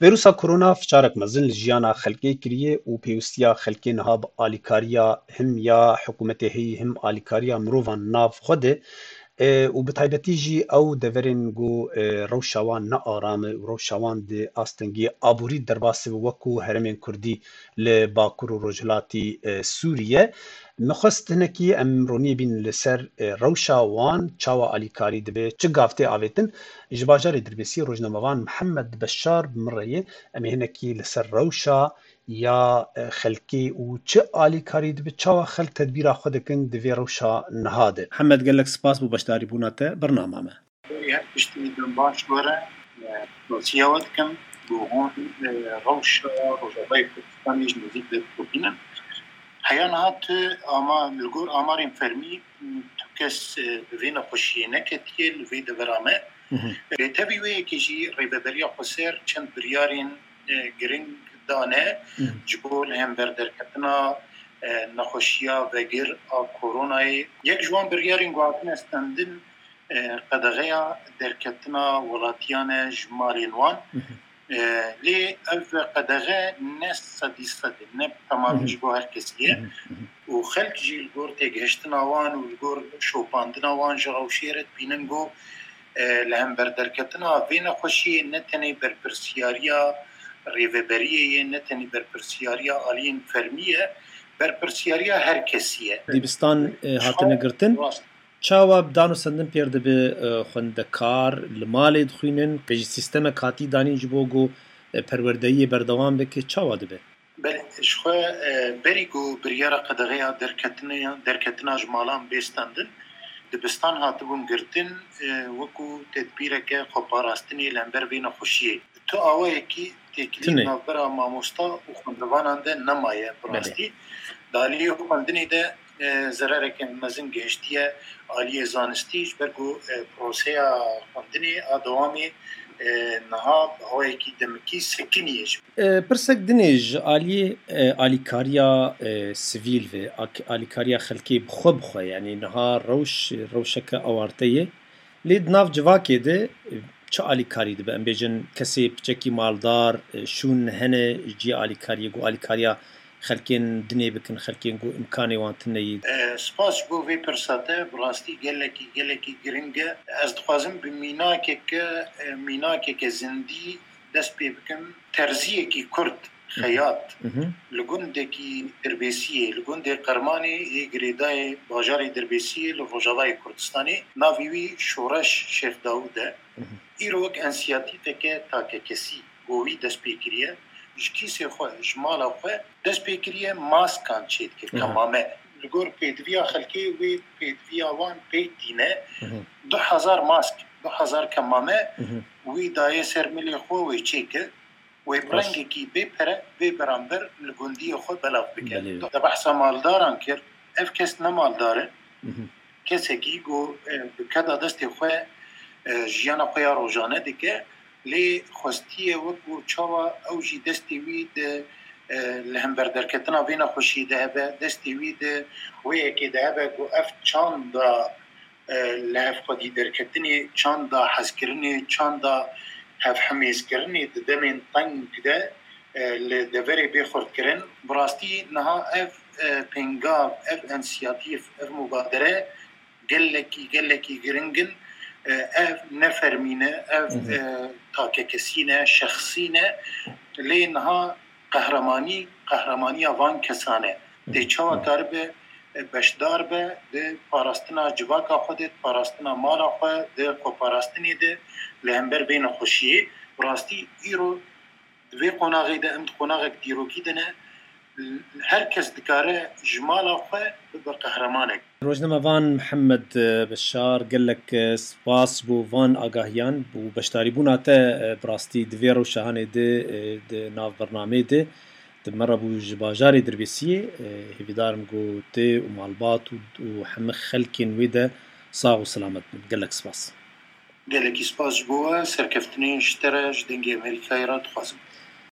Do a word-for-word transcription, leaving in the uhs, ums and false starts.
Vîrusa korona fiçarek mezin li jiyana xelkê kiriye û pêwistiya xelkê niha bi alîkariya him ya hikûmetê heyî him alîkariya mirovan nav xwe de, e, û bi taybetî jî ew deverên ku, e, rewşa wan ne aram e û rewşa wan di astengî aborî derbas e, wekû herêmên kurdî li Bakur û Rojhilatî, e, Sûriye. Min xwest hinekî em roniyê bînin li ser, e, rewşa wan, çawa alîkarî dibe, çi gav tê avêtin. Ji bajarê Dirbêsiyê rojnamevan Mihemed Beşar bi min re ye. Em ê hinekî li ser rewşa ya, e, xelkê û çi alîkarî dibe, çawa xelk tedbîra xwe dikin di vê rewşa niha de. Mihemed, gelek spas bo beşdarîbûna te bernama me. Her tiştî din baş were, e, dosiya we dikim, ku hûn, e, rewşa Rojavayê Kurdistanê ji nêzîk de dixebînin. Heya niha tu ama, li gor amarên fermî, tu kes, e, bi vê nexweşiyê neketiye li vê devera me. Hı hı. Lê tevî wê yekê jî Rêveberiya Xweser çend biryarên, e, giring dane Hı hı. ji bo li hember derketina, e, nexweşiya vegir a koronayê. Yek ji wan biryarên ku hatine stendin, e, qedexeya derketina welatiyan e ji malên wan. Hı hı. E, lê ev qedexe ne sedî sed e, ne temamî Hı hı. ji bo her kesî ye. Hı hı. Hı hı. Û xelk jî li gor têgihiştina wan û li gor şopandina wan ji rewşê re dibînin ku, e, li hember derketina vê nexweşiyê ne tenê berpirsiyariya rêveberiyê ye, ne tenê berpirsiyariya aliyên fermî ye, berpirsiyariya her kesî ye. Dibistan, e, Ji hatine xwe girtin. rast. Çawa bi dan û sendin pêr dibe, e, xwendekar li malê dixwînin, pê jî sîstemek hatî danîn ji bo ku, e, perwerdeyiyê berdewam bike, çawa dibe? Belê, ji xwe, e, berî ku biryara qedexeya derketinê, derketina ji malan bê stendin, dibistan hatibûn girtin, e, wekû tedbîreke xweparastinê li hember vê nexweşiyê. Tu awayekî têkilî Tune. navbera mamosta û xwendevanan de nemaye bi Belê. rastî. Di aliyê xwendinê de, e, zerareke mezin gihiştiye aliyê zanistî, ji ber ku, e, proseya xwendinê a dewamê, e, niha bi awayekî demikî sekiniye ji E, pirsek dinê ji aliyê, e, alîkariya, e, sivîl ve, ak-, alîkariya xelkê bi xwe bi xwe, yanî niha rewş, rewşeke awarte ye. Lê di nav civakê de, e, çi alîkarî dibe? Em bêjin kesê piçekî maldar, e, şûn hene ji cihê alîkariyê, ku alîkariya xelkên dinê bikin, xelkên ku imkanê wan tune yî. E, spas ji bo vê pirsa te, bi rastî gelekî, gelekî giring e. Ez dixwazim bi mînakeke, e, mînakeke zindî dest pê bikim. Terziyekî Kurd, Hı hı. xeyat, Hı hı. li gundekî Dirbêsiyê, li gundê Qermanê yê girêdayê bajarê Dirbêsiyê li Rojavayê Kurdistanê, navê wî Şoreş Şêx Dawûd e. Hı hı. Îro wek ensiyatîfeke takekesî, ku wî dest pê kiriye, ji kîsê xwe, ji mala xwe dest pê kiriye, maskan çêdike, Hı hı. kemame. Li gor pêdiviya xelkê wê pêdiviya wan pêk tîne. Hı hı. Du hezar mask, du hezar kemame Hı hı. wî daye ser milê xwe, wê çêkir. Wê bi Baş. rengekî bê pere, bê beramber li gundiyê xwe belav bike. Belê. Te behsa maldaran kir. Ev kes ne maldar e. Hı hı. Kesekî ku, e, bi keda destê xwe, e, jiyana xwe ya rojane dike, lê xwestiye wekû çawa ew jî destê wî di, e, li hember derketina vê nexweşiyê de hebe, destê wî di wê yekê de hebe ku ev çanda e, li hev xwedî derketinê, çanda hezkirinê, çanda hevhimêzkirinê di demên teng de, e, li deverê bê xurtkirin. Bi rastî niha ev, e, pêngav, ev ensiyatîf, ev mubadere gelekî, gelekî giring in. E, ev ne fermî ne, ev, Hı hı. e, takekesî ne, şexsî ne. Lê niha qehremanî, qehremanîya van kesan e. Tê çawa karibe, e, beşdar be di parastina civaka xwe de, di parastina mala xwe, di xweparastinê de li hember vê nexweşiyê. Bi rastî îro di vê qonaxê de em di qonaxek dîrokî de ne. Her kes dikare ji mala xwe bibe qehremanek. Rojnamevan Mihemed Beşar, gelek spas bo van agahiyan û beşdarîbûna te, bi rastî di vê rewşa hanê de, di nav bernameyê de, di me re bû ji bajarê Dirbêsiyê. Hêvîdar im ku tu û malbat û, û hemî xelkên wê de sax û selamet bin. Gelek spas. Gelekî spas ji bo we, serkeftinên ji te re, ji Dengê Amerîkayê re dixwazim.